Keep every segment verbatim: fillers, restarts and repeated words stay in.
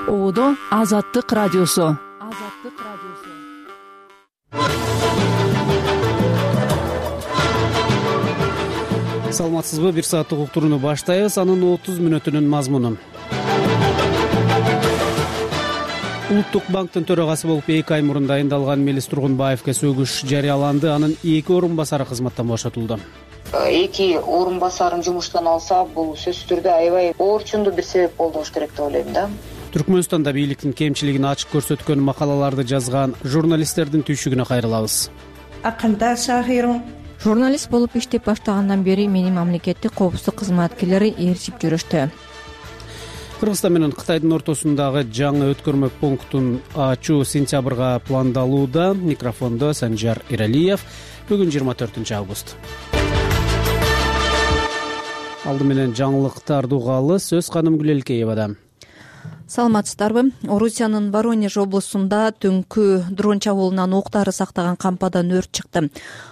Оодо Азаттык радиосу. Азаттык радиосу. Саламатсызбы? Бир сааттык уктурууну баштайбыз. Анын отуз мүнөтүнүн мазмунун. Улуттук банктын төрагасы болуп эки ай мурун дайындалган Мелис Тургунбаевге сөгүш жарыяланды. Анын эки орун басары кызматтан бошотулду. Эки орун басарын жумуштан алса, бул сөзсүз түрдө аябай оорчундуу бир себеп болду болуш керек деп ойлойм да. Түркмөнстанда бийликтин кемчилигин ачык көрсөткөн макалаларды жазган журналисттердин түйшүгүнө кайрылабыз. Акында шахирун Журналист болуп иштеп баштагандан бери мени мамлекеттик коопсуздук кызматкерлери ээрчип жүрүштү. Кыргызстан менен Кытайдын ортосундагы жаңы өткөрмө пунктун ачуу сентябрга пландалууда. Микрофондо Санжар Иралиев. Бүгүн жыйырма төртүнчү август. Алды менен жаңылыктарды угалы. Сөз Каным Гүлелкеевада. Саламатсыздарбы? Орусиянын Воронеж облусунда түнкү дрон чабуулунан октары сактаган кампадан өрт чыкты.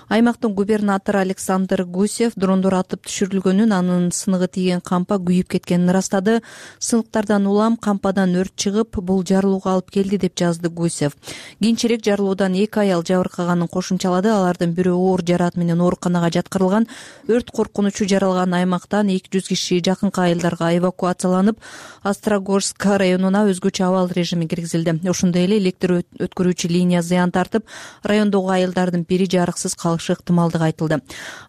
Аймактын губернатору Александр Гусев дрондор атып түшүрүлгөнүн, анын сыныгы тийген кампа күйүп кеткенин ырастады. Сыныктардан улам кампадан өрт чыгып, бул жарылууга алып келди деп жазды Гусев. Кийинчерээк жарылуудан эки аял жабыркаганын кошумчалады. Алардын бирөө оор жараат менен ооруканага жаткырылган. Өрт коркунучу жаралган аймактан эки жүз киши жакынкы айылдарга эвакуацияланып, Острогожск районуна өзгөчө абал режими киргизилди. Ошондой эле электр өткөрүүчү линия зыян тартып, райондогу айылдардын бири жарыксыз калышы ыктымалдыгы айтылды.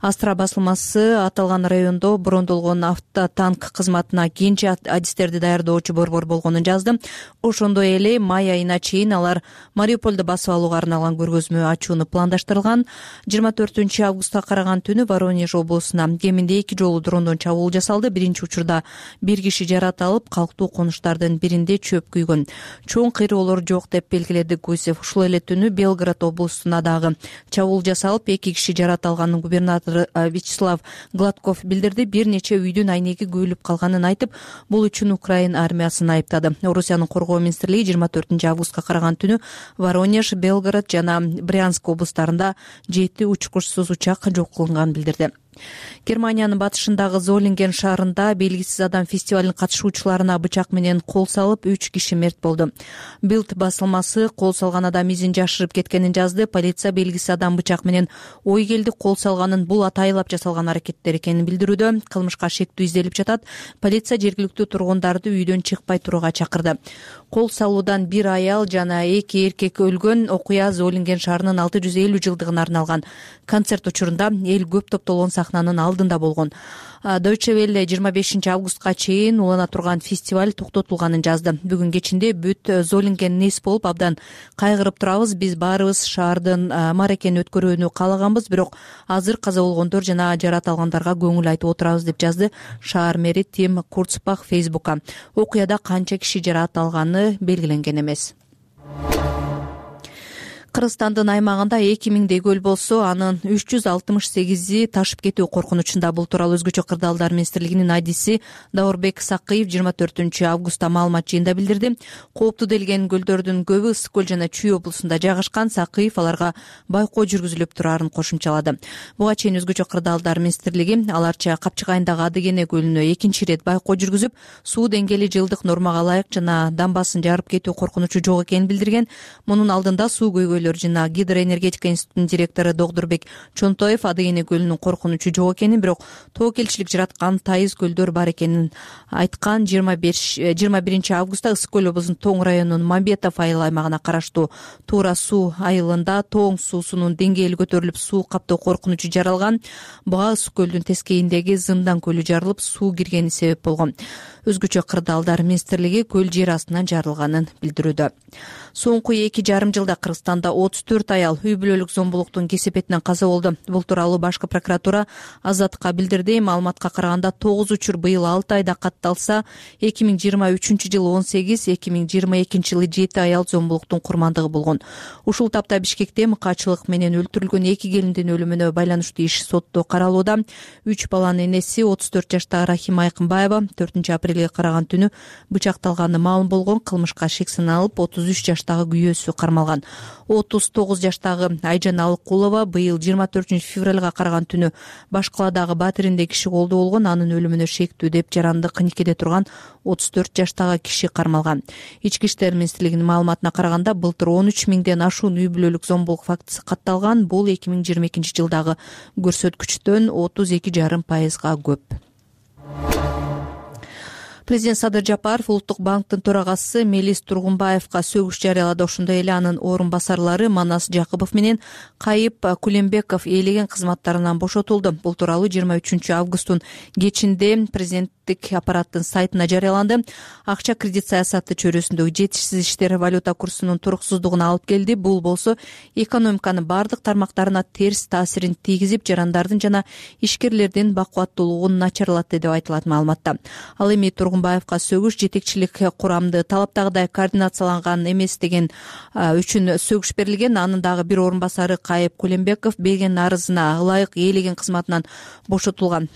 Астра басылмасы аталган райондо брондолгон автотанк кызматына кийинчи адистерди даярдоочу борбор болгонун жазды. Ошондой эле май айына чейин алар Мариуполду басып алууга арналган көргөзмө ачууну пландаштырган. жыйырма төртүнчү августка караган түнү Воронеж облусуна кеминде эки жолу дрондон чабуул жасалды. Биринчи учурда бир киши жараат алып, калктуу конуштардын биринде чөп күйгөн. Чоң кыйроолор жок деп белгиледи Гусев. Ушул эле түнү Белгород облусуна дагы чабуул жасалып, эки киши жараат алганын губернатору Вячеслав Гладков билдирди. Бир нече үйдүн айнеги күйүлүп калганын айтып, бул үчүн Украин армиясын айыптады. Орусиянын коргоо министрлиги жыйырма төртүнчү августка караган түнү Воронеж, Белгород жана Брянск облустарында жети учкучсуз учак жок кылынганын билдирди. Германиянын батышындагы Золинген шаарында белгисиз адам фестивалынын катышуучуларына бычак менен кол салып, үч киши мерт болду. Билд басылмасы кол салган адам изин жашырып кеткенин жазды. Полиция белгисиз адам бычак менен ой келди кол салганын, бул атайылап жасалган аракеттер экенин билдирүүдө. Кылмышка шектүү изделип жатат. Полиция жергиликтүү тургундарды үйдөн чыкпай турууга чакырды. Кол салуудан бир аял жана эки эркек өлгөн. Окуя Золинген шаарынын алты жүз элүү жылдыгына арналган концерт учурунда эл көп топтолгон сахнанын алдында болгон. Deutsche Welle жыйырма бешинчи августка чейин улана турган фестиваль токтотулганын жазды. Бүгүн кечинде бүт Золинген нес болуп абдан кайгырып турабыз. Биз баарыбыз шаардын мааракени өткөрүүнү каалаганбыз, бирок азыр каза болгондор жана жараат алгандарга көңүл айтып отурабыз деп жазды шаар мэри Тим Курцбах Фейсбукка. Окуяда канча киши жараат алганы белгиленген эмес. Кыргызстандын аймагында эки миңдей көл болсо, анын үч жүз алтымыш сегизи ташып кетүү коркунучунда. Бул тууралуу Өзгөчө кырдаалдар министрлигинин айдиси Даурбек Сакыев жыйырма төртүнчү августта маалымат жыйында билдирди. Кооптуу делген көлдөрдүн көбү Ысык көл жана Чүй облусунда жайгашкан. Сакыев аларга байкоо жүргүзүлүп турарын кошумчалады. Буга чейин Өзгөчө кырдаалдар министрлиги аларча Капчыгайындагы Адыгене көлүнө экинчи ирет байкоо жүргүзүп, суу деңгээли жылдык нормага ылайык жана дамбасын жарып кетүү коркунучу жок экенин билдирген. Мунун алдында суу көйгөйлөр жана гидроэнергетика институтунун директору Догдурбек Чонтоев Адыгене көлүнүн коркунучу жок экенин, бирок тоокелчилик жараткан тайыз көлдөр бар экенин айткан. жыйырма биринчи августта Ысык көл облусунун Тоң районунун Мамбетов айыл аймагына караштуу Туура суу айылында Тоң суусунун деңгээли көтөрүлүп, суу каптоо коркунучу жаралган. Буга Ысык көлдүн тескейиндеги Зындан көлү жарылып, суу киргени себеп болгон. Өзгөчө кырдаалдар министрлиги көл жер астынан жарылганын билдирүүдө. Соңку эки жарым жылда Кыргызстанда отуз төрт аял үй бүлөлүк зомбулуктун кесепетинен каза болду. Бул тууралуу Башкы прокуратура Азаттыкка билдирди. Маалыматка караганда тогуз учур быйыл алты айда катталса, эки миң жыйырма үчүнчү жылы он сегиз, эки миң жыйырма экинчи жылы жети аял зомбулуктун курмандыгы болгон. Ушул тапта Бишкекте мыкаачылык менен өлтүрүлгөн эки келиндин өлүмүнө байланыштуу иш сотто каралууда. Үч баланын энеси отуз төрт жаштагы Рахима Айкынбаева төртүнчү апрелде апрелге караган түнү бычакталганы маалым болгон. Кылмышка шек саналып отуз үч жаштагы күйөөсү кармалган. отуз тогуз жаштагы Айжан Алыкулова быйыл жыйырма төртүнчү февралга караган түнү Башкаладагы Батиринде киши колдоо болгон. Анын өлүмүнө шектүү деп жарандык никеде турган отуз төрт жаштагы киши кармалган. Ички иштер министрлигинин маалыматына караганда былтыр он үч миңден ашуун үй бүлөлүк зомбулук фактысы катталган. Бул эки миң жыйырма экинчи жылдагы көрсөткүчтөн отуз эки жарым пайызга көп. Президент Садыр Жапаров Улуттук банктын төрагасы Мелис Тургунбаевга сөгүш жарыялады. Ошондой эле анын орун басарлары Манас Жакыпов менен Кайып Кулембеков ээлеген кызматтарынан бошотулду. Бул тууралуу жыйырма үчүнчү августтун кечинде президенттик аппараттын сайтына жарыяланды. Акча кредит саясаты чөйрөсүндөгү жетишсиз иштер валюта курсунун туруксуздугуна алып келди. Бул болсо экономиканын бардык тармактарына терс таасирин тийгизип, жарандардын жана ишкерлердин бакубаттуулугун начарлатты деп айтылат маалыматта. Ал эми Тургунбаевга сөгүш жетекчилик курамды талаптагыдай координацияланган эмес деген үчүн сөгүш берилген. Анын дагы бир орун басары Кайып Кулембеков берген арызына ылайык ээлеген кызматынан бошотулган.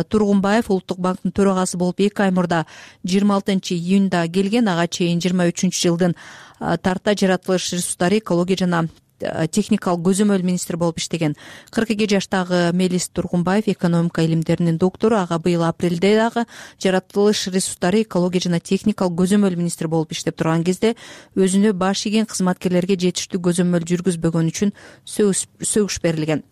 Тургунбаев Улуттук банктын төрагасы болуп эки ай мурда жыйырма алтынчы июнда келген. Ага чейин жыйырма үчүнчү жылдын тарта жаратылыш ресурстары, экология жана техникалык көзөмөл министри болуп иштеген. кырк эки жаштагы Мелис Тургунбаев экономика илимдеринин доктору. Ага быйыл апрелде дагы жаратылыш ресурстары, экология жана техникалык көзөмөл министри болуп иштеп турган кезде өзүнө баш ийген кызматкерлерге жетиштүү көзөмөл жүргүзбөгөн үчүн сөгүш берилген.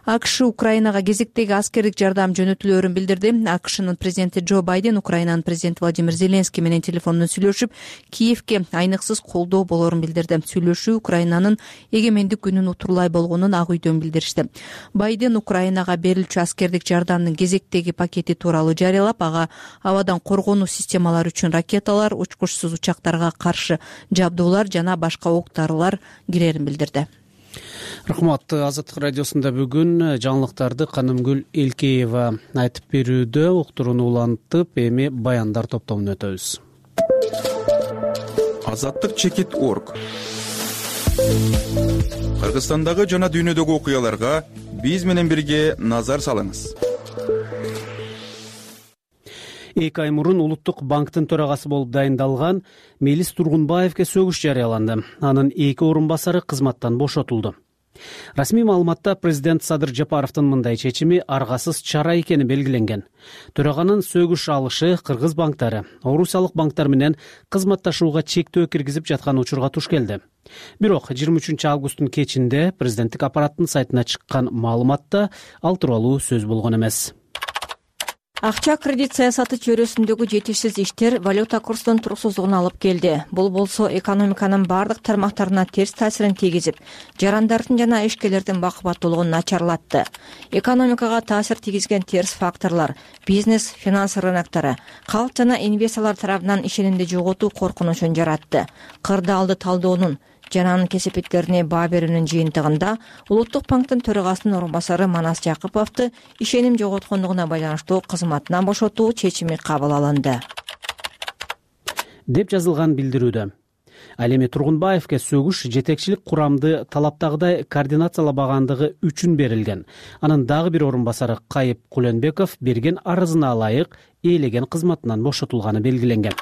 АКШ Украинага кезектеги аскердик жардам жөнөтүлөөрүн билдирди. АКШнын президенти Джо Байден Украинанын президенти Владимир Зеленский менен телефондон сүйлөшүп, Киевке айныксыз колдоо болоорун билдирди. Сүйлөшүү Украинанын эгемендик күнүн утурлай болгонун Ак үйдөн билдиришти. Байден Украинага берилчү аскердик жардамдын кезектеги пакети тууралуу жарыялап, ага абадан коргонуу системалары үчүн ракеталар, учкучсуз учактарга каршы жабдуулар жана башка ок-дарылар кирерин билдирди. Рахмат. Азаттык радиосунда бүгүн жаңылыктарды Канымгүл Элкеева айтып берүүдө. Уктурууну улантып, эми баяндар топтомуна өтөбүз. Азаттык чекит точка орг. Кыргызстандагы жана дүйнөдөгү окуяларга биз менен бирге назар салыңыз. Эки ай мурун Улуттук банктын төрагасы болуп дайындалган Мелис Тургунбаевге сөгүш жарыяланды. Анын эки орун басары кызматтан бошотулду. Расмий маалыматта президент Садыр Жапаровдун мындай чечими аргасыз чара экени белгиленген. Төраганын сөгүш алышы кыргыз банктары орусиялык банктар менен кызматташууга чектөө киргизип жаткан учурга туш келди. Бирок жыйырма үчүнчү августтун кечинде президенттик аппараттын сайтына чыккан маалыматта ал тууралуу сөз болгон эмес. Акча кредит саясаты чөйрөсүндөгү жетишсиз иштер валюта курсунун туруксуздугуна алып келди. Бул болсо экономиканын бардык тармактарына терс таасирин тийгизип, жарандардын жана ишкерлердин бакубаттуулугун начарлатты. Экономикага таасир тийгизген терс факторлор бизнес, финанс рыноктары, калк жана инвесторлор тарабынан ишенимди жоготуу коркунучун жаратты. Кырдаалды талдоонун жана анын кесепеттерине баа берүүнүн жыйынтыгында Улуттук банктын төрагасынын орун басары Манас Жакыповду ишеним жоготкондугуна байланыштуу кызматынан бошотуу чечими кабыл алынды деп жазылган билдирүүдө. Ал эми Тургунбаевге сөгүш жетекчилик курамды талаптагыдай координациялабагандыгы үчүн берилген. Анын дагы бир орун басары Кайып Кулембеков берген арызына ылайык ээлеген кызматынан бошотулганы белгиленген.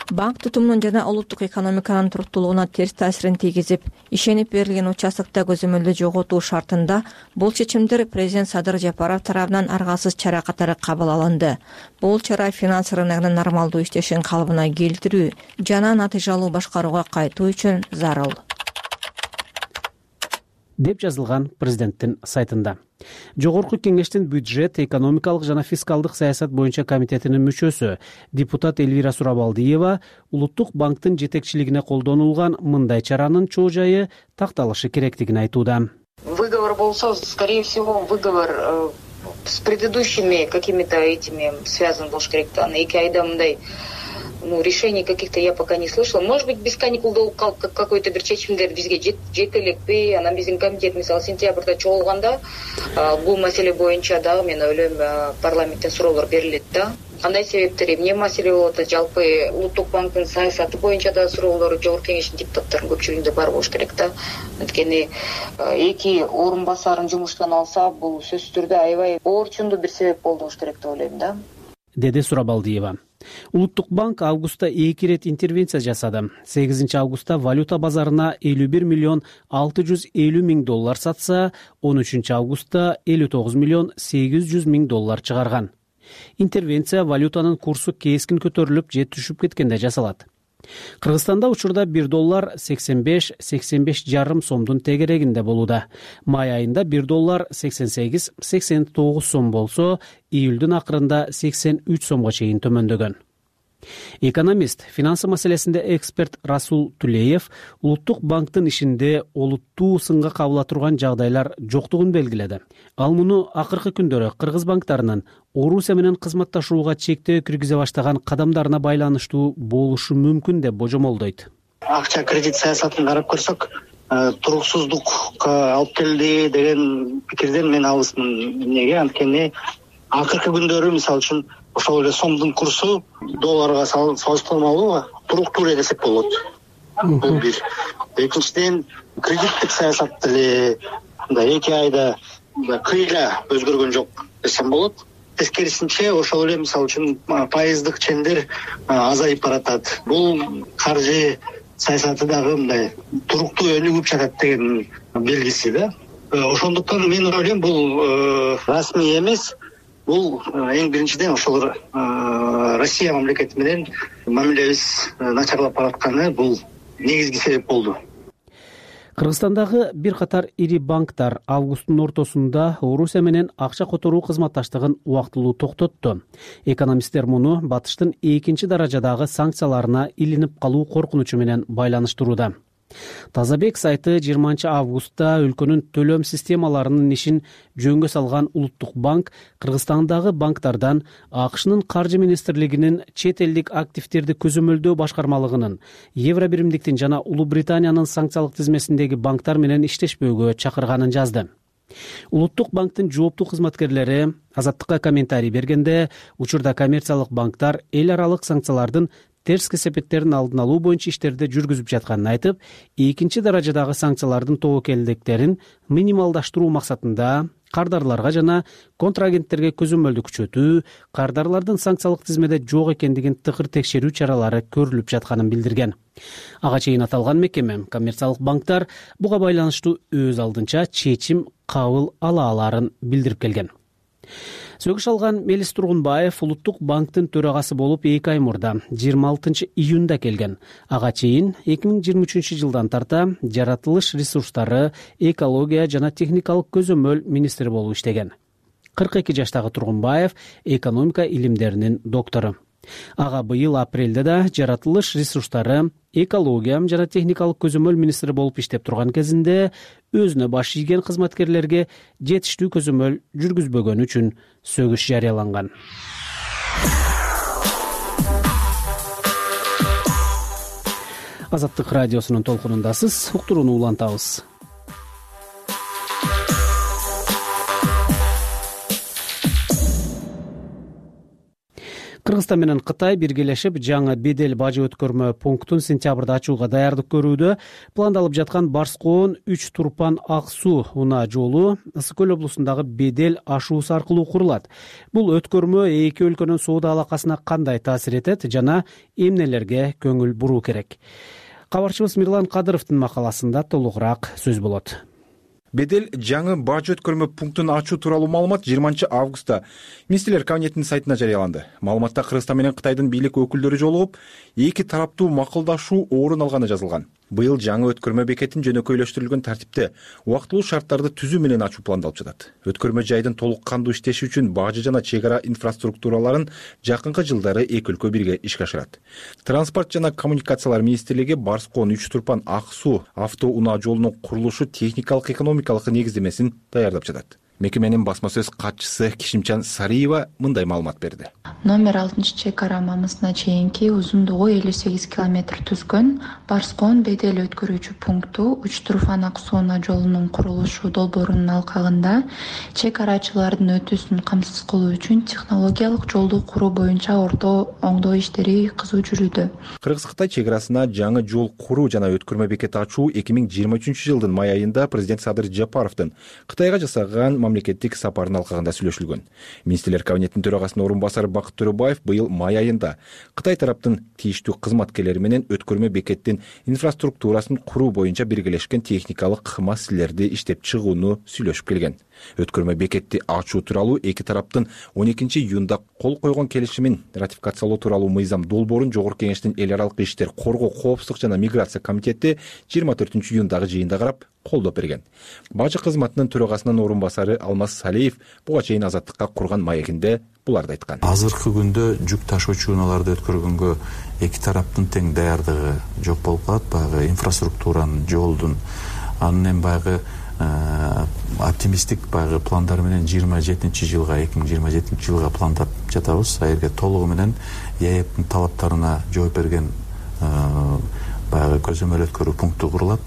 Банк тутумунун жана улуттук экономиканын туруктуулугуна терс таасирин тийгизип, ишенип берилген участокто көзөмөлдү жоготуу шартында бул чечимдер президент Садыр Жапаров тарабынан аргасыз чара катары кабыл алынды. Бул чара финанс рыногунун нормалдуу иштешин калыбына келтирүү жана натыйжалуу башкарууга кайтуу үчүн зарыл деп жазылган президенттин сайтында. Жогорку кеңештин бюджет, экономикалык жана фискалдык саясат боюнча комитетинин мүчөсү депутат Элвира Сурабалдиева Улуттук банктын жетекчилигине колдонулган мындай чаранын чоо жайы такталышы керектигин айтууда. Выговор болсо, скорее всего, выговор э, с предыдущими какими-то этими связан болуш керек да. Эки айда мындай ну, решений каких-то я пока не слышала. Может быть, без каникул какой-то бир чечимдер бизге жете элекпи. Анан биздин комитет, мисалы, сентябрда чогулганда бул маселе боюнча дагы мен ойлойм парламенттен суроолор берилет да. Кандай себептер, эмне маселе болуп атат? Жалпы Улуттук банктын саясаты боюнча да суроолор жогорку кеңештин депутаттарынын көпчүлүгүндө бар болуш керек да. Анткени эки орун басарын жумуштан алса, бул сөзсүз түрдө аябай оорчундуу бир себеп болуш керек деп ойлойм да. деди Сурабалдиева. Улуттук банк августта эки ирет интервенция жасады. сегизинчи августта валюта базарына элүү бир миллион алты жүз элүү миң доллар сатса, он үчүнчү августта элүү тогуз миллион сегиз жүз миң доллар чыгарган. Интервенция валютанын курсу кескин көтөрүлүп же түшүп кеткенде жасалат. Кыргызстанда учурда бир доллар сексен беш — сексен беш жарым сомдун тегерегинде болууда. Май айында бир доллар сексен сегиз — сексен тогуз сом болсо, июлдун акырында сексен үч сомго чейин төмөндөгөн. Экономист, финансы маселесинде эксперт Расул Тулеев Улуттук банктын ишинде олуттуу сынга кабыла турган жагдайлар жоктугун белгиледи. Ал муну акыркы күндөрү кыргыз банктарынын Орусия менен кызматташууга чектөө киргизе баштаган кадамдарына байланыштуу болушу мүмкүн деп божомолдойт. Акча кредит саясатын карап көрсөк, туруксуздукка алып келди деген пикирден мен алысмын. Эмнеге? Анткени акыркы күндөрү мисалы үчүн ошол эле сомдун курсу долларга салыштырмалуу туруктуу эле десек болот. Бул бир. Экинчиден, кредиттик саясат деле мындай эки айда кыйла өзгөргөн жок десем болот. Тескерисинче, ошол эле мисалы үчүн пайыздык чендер азайып баратат. Бул каржы саясаты дагы мындай туруктуу өнүгүп жатат деген белгиси да. Ошондуктан мен ойлойм, бул расмий эмес. Бул эң биринчиден ошол Россия мамлекети менен мамилебиз начарлап баратканы бул негизги себеп болду. Кыргызстандагы бир катар ири банктар августтун ортосунда Орусия менен акча которуу кызматташтыгын убактылуу токтотту. Экономисттер муну батыштын экинчи даражадагы санкцияларына илинип калуу коркунучу менен байланыштырууда. Тазабек сайты жыйырманчы августта өлкөнүн төлөм системаларынын ишин жөнгө салган Улуттук банк Кыргызстандагы банктардан АКШнын каржы министрлигинин чет элдик активдерди көзөмөлдөө башкармалыгынын, Евро биримдиктин жана Улуу Британиянын санкциялык тизмесиндеги банктар менен иштешпөөгө чакырганын жазды. Улуттук банктын жооптуу кызматкерлери Азаттыкка комментарий бергенде, учурда коммерциялык банктар эл аралык санкциялардын терс кесепеттерин алдын алуу боюнча иштерди жүргүзүп жатканын айтып, экинчи даражадагы санкциялардын тобокелдиктерин минималдаштыруу максатында кардарларга жана контрагенттерге көзөмөлдү күчөтүү, кардарлардын санкциялык тизмеде жок экендигин тыкыр текшерүү чаралары көрүлүп жатканын билдирген. Ага чейин аталган мекеме коммерциялык банктар буга байланыштуу өз алдынча чечим кабыл ала аларын билдирип келген. Сөгүш алган Мелис Тургунбаев Улуттук банктын төрагасы болуп эки ай мурда жыйырма алтынчы июнда келген. Ага чейин эки миң жыйырма үчүнчү жылдан тарта жаратылыш ресурстары, экология жана техникалык көзөмөл министри болуп иштеген. кырк эки жаштагы Тургунбаев экономика илимдеринин доктору. Ага быйыл апрелде да жаратылыш ресурстары, экология жана техникалык көзөмөл министри болуп иштеп турган кезинде өзүнө баш ийген кызматкерлерге жетиштүү көзөмөл жүргүзбөгөнү үчүн сөгүш жарыяланган. Азаттык радиосунун толкунундасыз, уктурууну улантабыз. Кыргызстан менен Кытай биргелешип жаңы бедел бажы өткөрмө пунктун сентябрда ачууга даярдык көрүүдө. Пландалып жаткан Барскоон үч Турпан Ак Суу унаа жолу Ысык Көл облусундагы бедел ашуусу аркылуу курулат. Бул өткөрмө эки өлкөнүн соода алакасына кандай таасир этет жана эмнелерге көңүл буруу керек? Кабарчыбыз Мирлан Кадыровдун макаласында толугураак сөз болот. Бедел жаңы бажы өткөрмө пунктун ачуу тууралуу маалымат жыйырманчы августта Министрлер кабинетинин сайтына жарыяланды. Маалыматта Кыргызстан менен Кытайдын бийлик өкүлдөрү жолугуп, эки тараптуу макулдашуу орун алганы жазылган. Быйыл жаңы өткөрмө бекетин жөнөкөйлөштүрүлгөн тартипте убактылуу шарттарды түзүү менен ачуу пландалып жатат. Өткөрмө жайдын толук кандуу иштеши үчүн бажы жана чек ара инфраструктураларын жакынкы жылдары эки өлкө бирге ишке ашырат. Транспорт жана коммуникациялар министрлиги Барскоон үч Турпан Ак Суу авто унаа жолунун курулушу техникалык экономикалык негиздемесин даярдап жатат. Мекеменин басма сөз катчысы Кишимчан Сариева мындай маалымат берди. Номер алтынчы чек ара мамысына чейинки узундугу элүү сегиз километр түзгөн Барскоон бедел өткөрүүчү пункту үч Турфан Ак Суу жолунун курулушу долбоорунун алкагында чек арачылардын өтүүсүн камсыз кылуу үчүн технологиялык жолду куруу боюнча орто оңдоо иштери кызуу жүрүүдө. Кыргыз-Кытай чек арасына жаңы жол куруу жана өткөрмө бекети ачуу эки миң жыйырма үчүнчү жылдын май айында президент Садыр Жапаровдун Кытайга жасаган мамлекеттик сапарын алкагында сүйлөшүлгөн. Министрлер кабинетинин төрагасынын орун басары Бакыт Төрөбаев быйыл май айында Кытай тараптын тийиштүү кызматкерлери менен өткөрмө бекеттин инфраструктурасын куруу боюнча биргелешкен техникалык маселелерди иштеп чыгууну сүйлөшүп келген. Өткөрмө бекетти ачуу тууралуу эки тараптын он экинчи июнда кол койгон келишимин ратификациялоо тууралуу мыйзам долбоорун Жогорку Кеңештин эл аралык иштер, коргоо, коопсуздук жана миграция комитети жыйырма төртүнчү июндагы жыйында карап колдоп берген. Бажы кызматынын төрагасынын орун басары Алмаз Салиев буга чейин Азаттыкка курган маегинде буларды айткан. Азыркы күндө жүк ташуучу унааларды өткөргөнгө эки тараптын тең даярдыгы жок болуп калат. Баягы инфраструктуранын, жолдун, анын эми баягы оптимисттик баягы пландар менен жыйырма жетинчи жылга эки миң жыйырма жетинчи жылга пландап жатабыз. Аерге толугу менен ЕЭПтин талаптарына жооп берген баягы көзөмөл өткөрүү пункту курулат.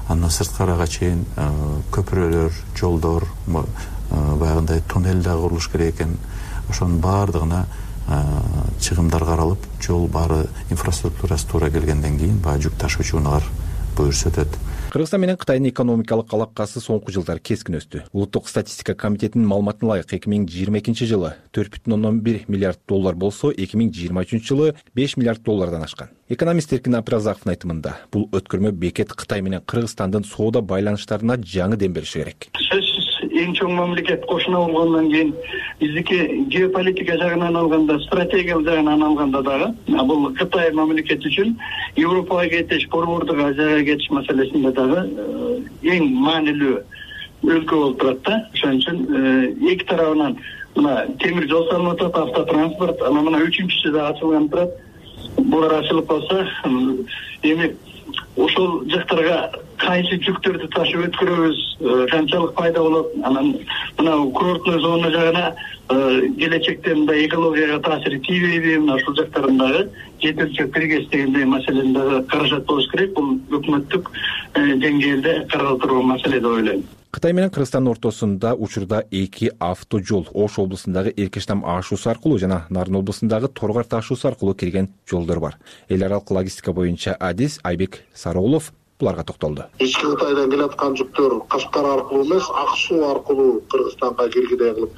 Андан сырткарыга чейин көпүрөлөр, жолдор, баягындай туннель да курулуш керек экен. Ошонун баардыгына чыгымдар каралып, жол баары инфраструктурасы туура келгенден кийин баягы жүк ташуучу унаалар буюрса өтөт. Кыргызстан менен Кытайдын экономикалык алакасы соңку жылдары кескин өстү. Улуттук статистика комитетинин маалыматына ылайык эки миң жыйырма экинчи жылы төрт бүтүн ондон бир миллиард доллар болсо, эки миң жыйырма үчүнчү жылы беш миллиард доллардан ашкан. Экономист Эркин Абдыразаковдун айтымында, бул өткөрмө бекет Кытай менен Кыргызстандын соода байланыштарына жаңы дем бериши керек. Эң чоң мамлекет кошуна болгондон кийин биздики геополитика жагынан алганда, стратегиялык жагынан алганда дагы бул Кытай мамлекети үчүн Европага кетиш, Борбордук Азияга кетиш маселесинде дагы эң маанилүү өлкө болуп турат да. Ошон үчүн эки тарабынан мына темир жол салынып атат, автотранспорт, анан мына үчүнчүсү да ачылган турат. Булар ачылып калса, эми ошол жактарга кайсы жүктөрдү ташып өткөрөбүз, канчалык пайда болот, анан мына курортный зона жагына келечекте мындай экологияга таасири тийбейби, мына ушул жактарындагы жетекчи киргиз дегендей маселени дагы каражат болуш керек. Бул өкмөттүк деңгээлде каралып турган маселе деп ойлойм. Кытай менен Кыргызстандын ортосунда учурда эки автожол Ош облусундагы Эркештам ашуусу аркылуу жана Нарын облусундагы Торгар ташуусу аркылуу кирген жолдор бар. Эл аралык логистика боюнча адис Айбек Сарыулов буларга токтолду. Ички Кытайдан келаткан жүктөр Кашкар аркылуу эмес, Ак суу аркылуу Кыргызстанга киргидей кылып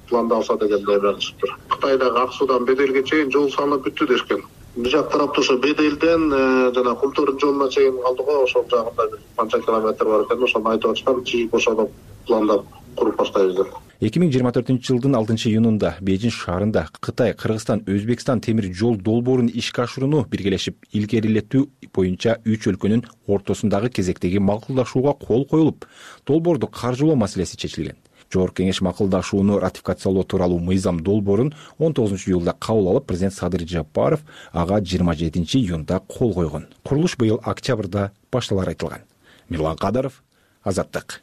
пландалса дегендей чыктыр. Кытайдагы Ак суудан Беделге чейин жол салынып бүттү дешкен. Бул жак тарапта ошо Беделден жана Кумтордун жолуна чейин калды го, ошол жагында бир канча километр бар экен, ошону айтып атышкан, чыгып ошону пландап куруп баштайбыз деп. эки миң жыйырма төртүнчү жылдын алтынчы июнунда Бейжин шаарында Кытай, Кыргызстан, Өзбекстан темир жол долбоорун ишке ашырууну биргелешип илгерилетүү боюнча үч өлкөнүн ортосундагы кезектеги макулдашууга кол коюлуп, долбоорду каржылоо маселеси чечилген. Жогорку Кеңеш макулдашууну ратификациялоо тууралуу мыйзам долбоорун он тогузунчу июлда кабыл алып, президент Садыр Жапаров ага жыйырма жетинчи июнда кол койгон. Курулуш быйыл октябрда башталары айтылган. Мирлан Кадыров, Азаттык.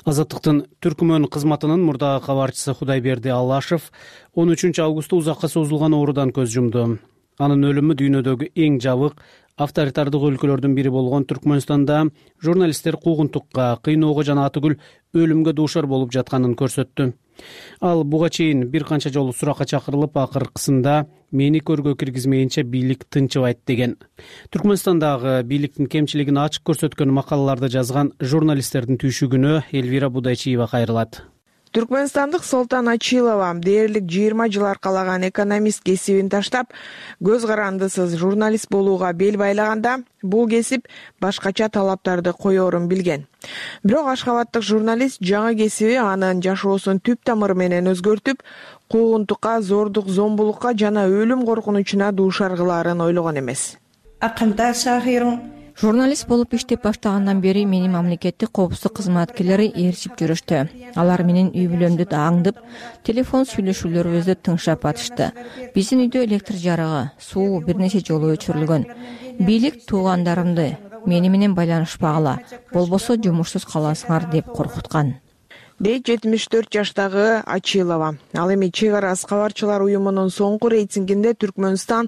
Азаттыктын Түркмөн кызматынын мурдагы кабарчысы Кудайберди Алашев он үчүнчү августта узакка созулган оорудан көз жумду. Анын өлүмү дүйнөдөгү эң жабык авторитардык өлкөлөрдүн бири болгон Түркмөнстанда журналисттер куугунтукка, кыйноого жана атүгүл өлүмгө дуушар болуп жатканын көрсөттү. Ал буга чейин бир канча жолу суракка чакырылып, акыркысында мени көргө киргизмейинче бийлик тынчыбайт деген. Түркмөнстандагы бийликтин кемчилигин ачык көрсөткөн макалаларды жазган журналисттердин түйшүгүнө Элвира Будайчиева кайрылат. Түркмөнстандык Солтан Ачилова дээрлик жыйырма жыл аркалаган экономист кесибин таштап, көз карандысыз журналист болууга бел байлаганда, бул кесип башкача талаптарды коерун билген. Бирок Ашхабадтык журналист жаңы кесиби анын жашоосун түп тамыры менен өзгөртүп, куугунтукка, зордук, зомбулукка жана өлүм коркунучуна дуушар кылаарын ойлогон эмес. Акында Сахирун Журналист болуп иштеп баштагандан бери мени мамлекеттик коопсуздук кызматкерлери ээрчип жүрүштү. Алар менин үй бүлөмдү аңдып, телефон сүйлөшүүлөрүбүздү тыңшап атышты. Биздин үйдө электр жарыгы, суу бир нече жолу өчүрүлгөн. Бийлик туугандарымды мени менен байланышпагыла, болбосо жумушсуз каласыңар деп коркуткан. дейт жетимиш төрт жаштагы Ачилова. Ал эми Чек арасы кабарчылар уюмунун соңку рейтингинде Түркмөнстан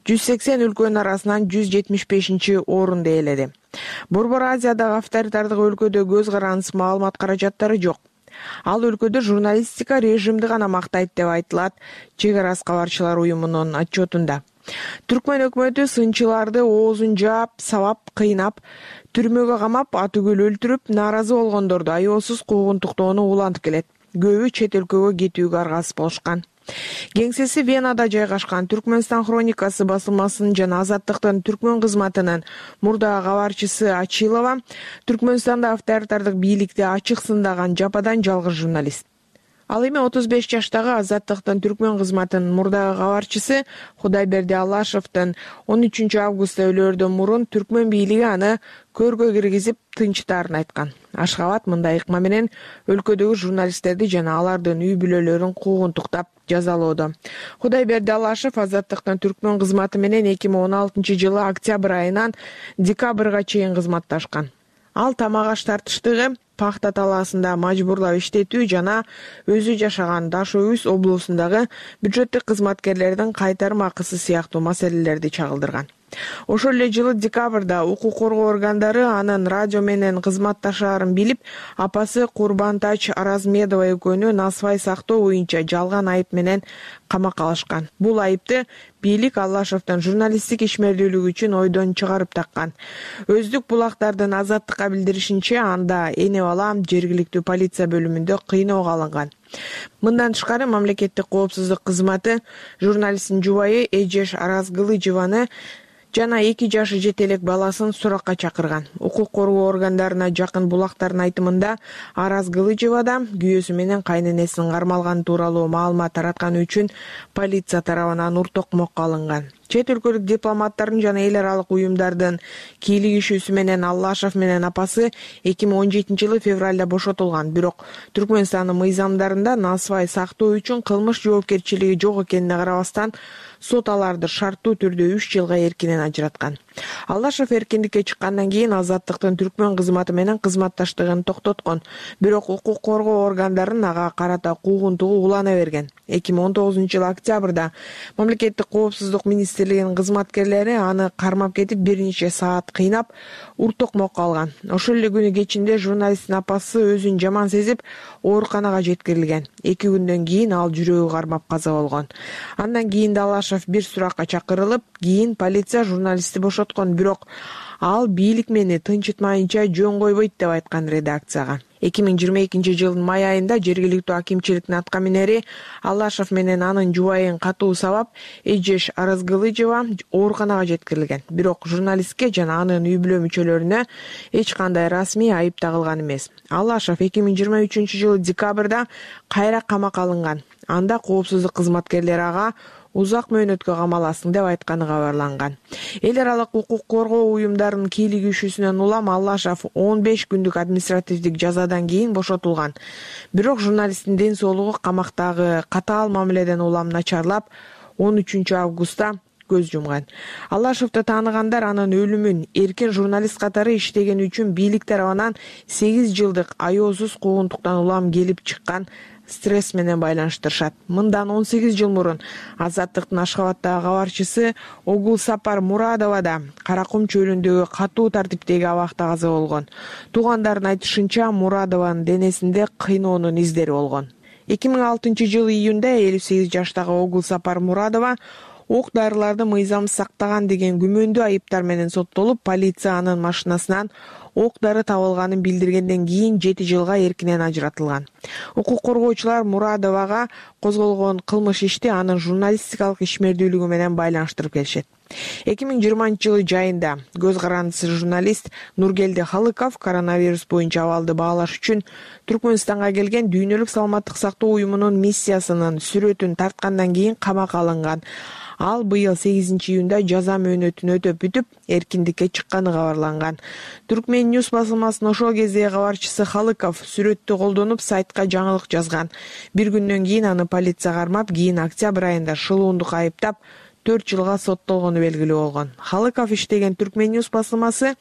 жүз сексен өлкөнүн арасынан жүз жетимиш бешинчи орунду ээледи. Борбор Азиядагы авторитардык өлкөдө көз карандысыз маалымат каражаттары жок. Ал өлкөдө журналистика режимди гана мактайт деп айтылат Чек арасы кабарчылар уюмунун отчетунда. Түркмөн өкмөтү сынчыларды оозун жаап, сабап, кыйнап, түрмөгө камап, атүгүл өлтүрүп, нааразы болгондорду аеосуз куугунтуктоону улантып келет. Көбү чет өлкөгө кетүүгө аргасыз болушкан. Кеңсеси Венада жайгашкан Түркмөнстан хроникасы басылмасынын жана Азаттыктын түркмөн кызматынын мурдагы кабарчысы Ачилова Түркмөнстанда авторитардык бийликти ачык сындаган жападан жалгыз журналист. Ал эми отуз беш жаштагы Азаттыктын түркмөн кызматынын мурдагы кабарчысы Кудайберди Аллашевдин он үчүнчү августта өлөөрдөн мурун түркмөн бийлиги аны көргө киргизип тынчтаарын айткан. Ашхабад мындай ыкма менен өлкөдөгү журналисттерди жана алардын үй бүлөлөрүн куугунтуктап жазалоодо. Кудайберди Аллашев Азаттыктын түркмөн кызматы менен эки миң он алтынчы жылы октябрь айынан декабрга чейин кызматташкан. Ал тамак аш тартыштыгы, пахта талаасында мажбурлап иштетүү жана өзү жашаган Дашөүз облусундагы бюджеттик кызматкерлердин кайтарым акысы сыяктуу маселелерди чагылдырган. Ошол эле жылы декабрда укук коргоо органдары анын радио менен кызматташаарын билип, апасы Курбантач Аразмедова экөөнү насыбай сактоо боюнча жалган айып менен камакка алышкан. Бул айыпты бийлик Аллашевдин журналисттик ишмердүүлүгү үчүн ойдон чыгарып таккан. Өздүк булактардын Азаттыкка билдиришинче, анда эне бала жергиликтүү полиция бөлүмүндө кыйноого алынган. Мындан тышкары мамлекеттик коопсуздук кызматы журналисттин жубайы Эжеш Аразгылыжеваны жана эки жашы жете элек баласын суракка чакырган. Укук коргоо органдарына жакын булактардын айтымында Аразгылыжевада күйөөсү менен кайненесинин кармалганы тууралуу маалымат таратканы үчүн полиция тарабынан ур токмокко алынган. Чет өлкөлүк дипломаттардын жана эл аралык уюмдардын кийлигишүүсү менен Аллашев менен апасы эки миң он жетинчи жылы февралда бошотулган. Бирок Түркмөнстандын мыйзамдарында насыбай сактоо үчүн кылмыш жоопкерчилиги жок экенине карабастан сот аларды шарттуу түрдө үч жылга эркинен ажыраткан. Аллашев эркиндикке чыккандан кийин Азаттыктын түркмөн кызматы менен кызматташтыгын токтоткон. Бирок укук коргоо органдарын ага карата куугунтугу улана берген. эки миң он тогузунчу жылы октябрда мамлекеттик коопсуздук министрлигинин кызматкерлери аны кармап кетип бир нече саат кыйнап ур токмокко алган. Ошол эле күнү кечинде журналисттин апасы өзүн жаман сезип ооруканага жеткирилген. эки күндөн кийин ал жүрөгү кармап каза болгон. Андан кийин да Аллашев бир суракка чакырылып, кийин полиция журналистти бошоткон, бирок ал бийлик мени тынчытмайынча жөн койбойт деп айткан редакцияга. эки миң жыйырма экинчи жылдын май айында жергиликтүү акимчиликтин атка минери Аллашев менен анын жубайын катуу сабап Эжеш Аразгылыжева ооруканага жеткирилген. Бирок журналистке жана анын үй бүлө мүчөлөрүнө эч кандай расмий айып тагылган эмес. Аллашев эки миң жыйырма үчүнчү жылы декабрда кайра камакка алынган. Анда коопсуздук кызматкерлери ага узак мөөнөткө камаласың деп айтканы кабарланган. Эл аралык укук коргоо уюмдарынын кийлигишүүсүнөн улам Аллашев он беш күндүк административдик жазадан кийин бошотулган. Бирок журналисттин ден соолугу камактагы катаал мамиледен улам начарлап, он үчүнчү августта көз жумган. Аллашевди тааныгандар анын өлүмүн эркин журналист катары иштегени үчүн бийлик тарабынан сегиз жылдык аеосуз куугунтуктан улам келип чыккан стресс менен байланыштырышат. Мындан он сегиз жыл мурун Азаттыктын Ашхабаддагы кабарчысы Огулсапар Мурадова да Каракум чөлүндөгү катуу тартиптеги абакта каза болгон. Туугандардын айтышынча, Мурадованын денесинде кыйноонун издери болгон. эки миң алтынчы жылы июнда элүү сегиз жаштагы Огулсапар Мурадова ок дарыларды мыйзамсыз сактаган деген күмөндүү айыптар менен соттолуп, полиция анын машинасынан ок дары табылганын билдиргенден кийин жети жылга эркинен ажыратылган. Укук коргоочулар Мурадовага козголгон кылмыш ишти анын журналистикалык ишмердүүлүгү менен байланыштырып келишет. эки миң жыйырманчы жылы жайында көз карандысы журналист Нургелди Халыков коронавирус боюнча абалды баалаш үчүн Түркмөнстанга келген Дүйнөлүк саламаттык сактоо уюмунун миссиясынын сүрөтүн тарткандан кийин камакка алынган. Ал быйыл сегизинчи июнда жаза мөөнөтүн өтөп бүтүп, эркиндикке чыкканы кабарланган. Түркмен Ньюс басылмасынын ошол кездеги кабарчысы Халыков сүрөттү колдонуп сайтка жаңылык жазган. Бир күндөн кийин аны полиция кармап, кийин октябрь айында шылуундук айыптап төрт жылга соттолгону белгилүү болгон. Халыков иштеген Түркмен Ньюс басылмасы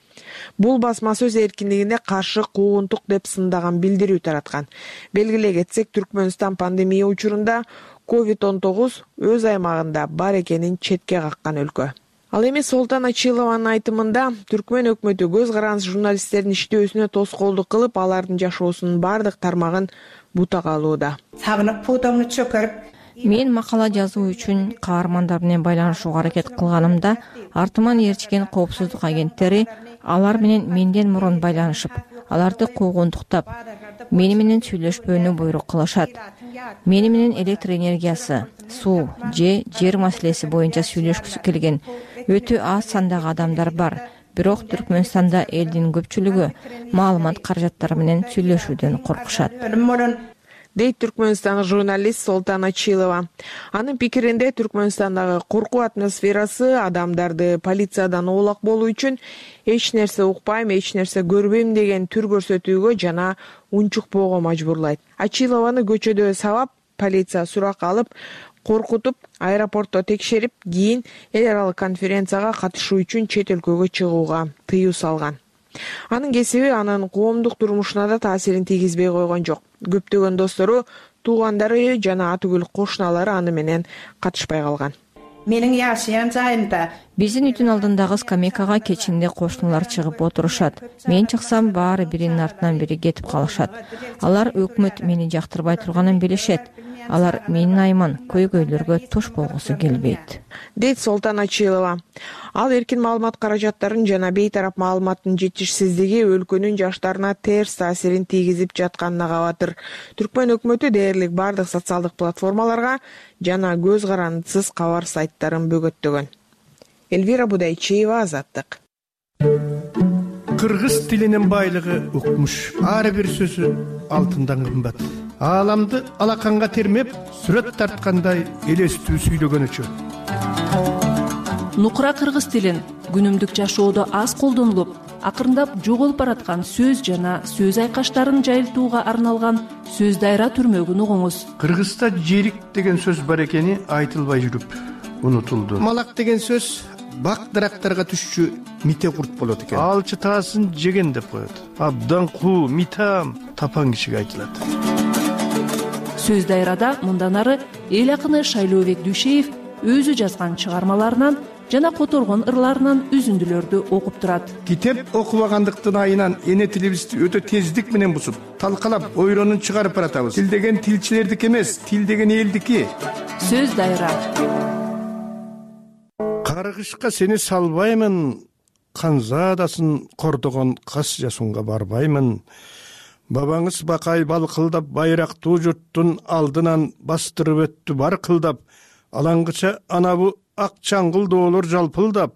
бул басма сөз эркиндигине каршы куугунтук деп сындаган билдирүү тараткан. Белгилей кетсек, Түркмөнстан пандемия учурунда ковид он тогуз өз аймагында бар экенин четке каккан өлкө. Ал эми Солтан Ачилованын айтымында Түркмөн өкмөтү көз карандысы журналисттердин иштөөсүнө тоскоолдук кылып, алардын жашоосунун бардык тармагын бутага алууда. Сагынып пуудамны чөкөрүп, Мен макала жазуу үчүн каармандар менен байланышууга аракет кылганымда артыман ээрчиген коопсуздук агенттери алар менен менден мурун байланышып, аларды куугунтуктап, мени менен сүйлөшпөөнү буйрук кылышат. Мени менен электр энергиясы, суу же жер маселеси боюнча сүйлөшкүсү келген өтө аз сандагы адамдар бар. Бирок Түркмөнстанда элдин көпчүлүгү маалымат каражаттары менен сүйлөшүүдөн коркушат, дейт түркмөнстандык журналист Солтан Ачилова. Анын пикиринде Түркмөнстандагы коркуу атмосферасы адамдарды полициядан оолак болуу үчүн эч нерсе укпайм, эч нерсе көрбөйм деген түр көрсөтүүгө жана унчукпоого мажбурлайт. Ачилованы көчөдө сабап, полиция сурак алып, коркутуп, аэропортто текшерип, кийин эл аралык конференцияга катышуу үчүн чет өлкөгө чыгууга тыюу салган. Анын кесиби анын коомдук турмушуна да таасирин тийгизбей койгон жок. Көптөгөн достору, туугандары жана атүгүл кошуналары аны менен катышпай калган. Менин жашаган жайымда биздин үйдүн алдындагы скамейкага кечинде кошуналар чыгып отурушат. Мен чыксам баары биринин артынан бири кетип калышат. Алар өкмөт мени жактырбай турганын билишет. Алар менин айыман көйгөйлөргө туш болгусу келбейт, дейт Солтан Ачилова. Ал эркин маалымат каражаттарын жана бейтарап маалыматтын жетишсиздиги өлкөнүн жаштарына терс таасирин тийгизип жатканына кабатыр. Түркмөн өкмөтү дээрлик бардык социалдык платформаларга жана көз карандысыз кабар сайттарын бөгөттөгөн. Элвира Будайчиева, Азаттык. Кыргыз тилинин байлыгы укмуш. Ар бир сөзү алтындан кымбат. Ааламды алаканга термеп, сүрөт тарткандай элестүү сүйлөгөнүчү. Нукура кыргыз тилин күнүмдүк жашоодо аз колдонулуп, акырындап жоголуп бараткан сөз жана сөз айкаштарын жайылтууга арналган сөз дайра түрмөгүн угуңуз. Кыргызда жерик деген сөз бар экени айтылбай жүрүп унутулду. Малак деген сөз бак дарактарга түшчү мите курт болот экен. Алчы таасын жеген деп коет. Абдан куу, митам, тапан кишиге айтылат. Сөз дайрада мындан ары эл акыны Шайлообек Дүйшеев өзү жазган чыгармаларынан жана которгон ырларынан үзүндүлөрдү окуп турат. Китеп окубагандыктын айынан эне тилибизди өтө тездик менен бусуп, талкалап, ойронун чыгарып баратабыз. Тил деген тилчилердики эмес, тил деген элдики. Сөз дайра. Каргышка сени салбаймын, канзаадасын кордогон кас жасунга барбаймын. Бабаңыз бакай балкылдап байрактуу журттун алдынан бастырып өттү бар кылдап, алаңгыча анабу ак чаңгыл доолор жалпылдап,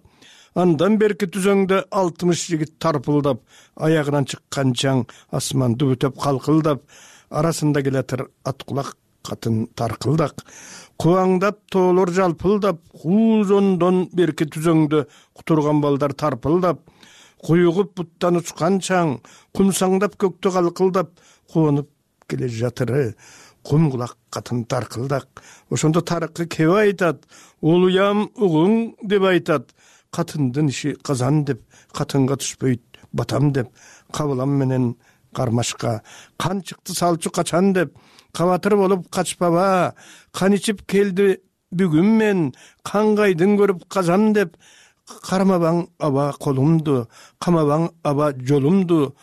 андан берки түзөңдө алтымыш жигит тарпылдап, аягынан чыккан чаң асманды бүтөп калкылдап, арасында келатыр ат кулак катын таркылдак, кубаңдап тоолор жалпылдап, куузондон берки түзөңдө кутурган балдар тарпылдап, куюгуп буттан учкан чаң, кумсаңдап көктө калкылдап, куонуп келе жатыры, кум кулак катын таркылдак. Ошондо тарыкы кеп айтат, улуям угуң деп айтат, катындын иши казан деп, катынга түшпөйт батам деп, кабылам менен кармашка, кан чыкты салчу качан деп, кабатыр болуп качпаба, кан ичип келди бүгүн мен, кангайдын көрүп казам деп, кармабаң аба колумду, камабаң аба жолумду,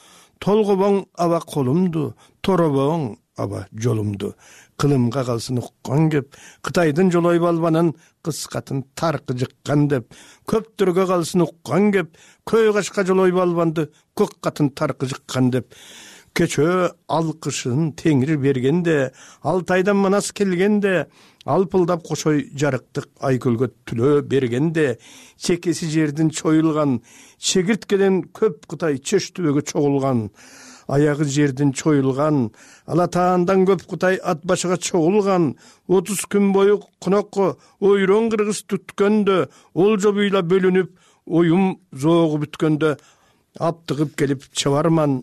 толгобоң аба колумду, торобоң аба жолумду. Кылымга калсын уккан кеп, Кытайдын жолой балбанын кыскатын таркы жыккан деп, көптөргө калсын уккан кеп, көй кашка жолой балбанды көк катын таркы жыккан деп, кечөө алкышын теңир бергенде, Алтайдан манас келгенде, алпылдап кошой жарыктык айкөлгө түлөө бергенде, чекеси жердин чоюлган, чегирткеден көп Кытай чөш түбөгө чогулган, аягы жердин чоюлган, алатаандан көп Кытай ат башыга чогулган, отуз күн бою конокко ойрон кыргыз түткөндө, олжо буйла бөлүнүп, оюм зоогу бүткөндө, аптыгып келип чабарман.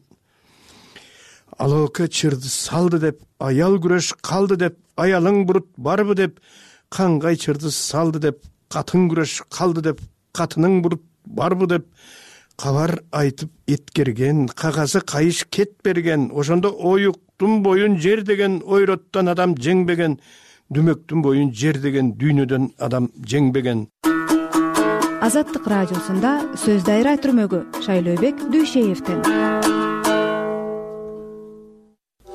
Алоке чырды салды деп, аял күрөш калды деп, аялың бурут барбы деп, кангай чырды салды деп, катын күрөш калды деп, катының бурут барбы деп, кабар айтып эткерген, кагазы кайыш кет берген, ошондо оюктун боюн жер деген ойроттон адам жеңбеген, дүмөктүн боюн жер деген дүйнөдөн адам жеңбеген. Азаттык радиосунда сөз дайра түрмөгү Шайлообек Дүйшеевден.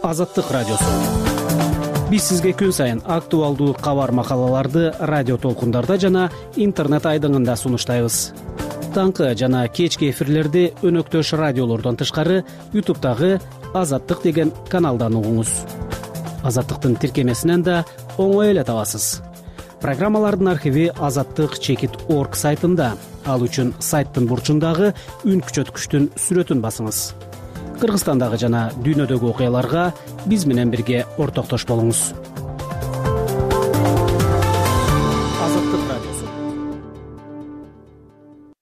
Азаттык радиосу. биз сизге күн сайын актуалдуу кабар макалаларды радио толкундарда жана интернет айдыңында сунуштайбыз. Таңкы жана кечки эфирлерди өнөктөш радиолордон тышкары ютубтагы Азаттык деген каналдан угуңуз. Азаттыктын тиркемесинен да оңой эле табасыз. Программалардын архиви азаттык чекит орг сайтында. Ал үчүн сайттын бурчундагы үн күчөткүчтүн сүрөтүн басыңыз. Кыргызстандагы жана дүйнөдөгү окуяларга биз менен бирге ортоктош болуңуз.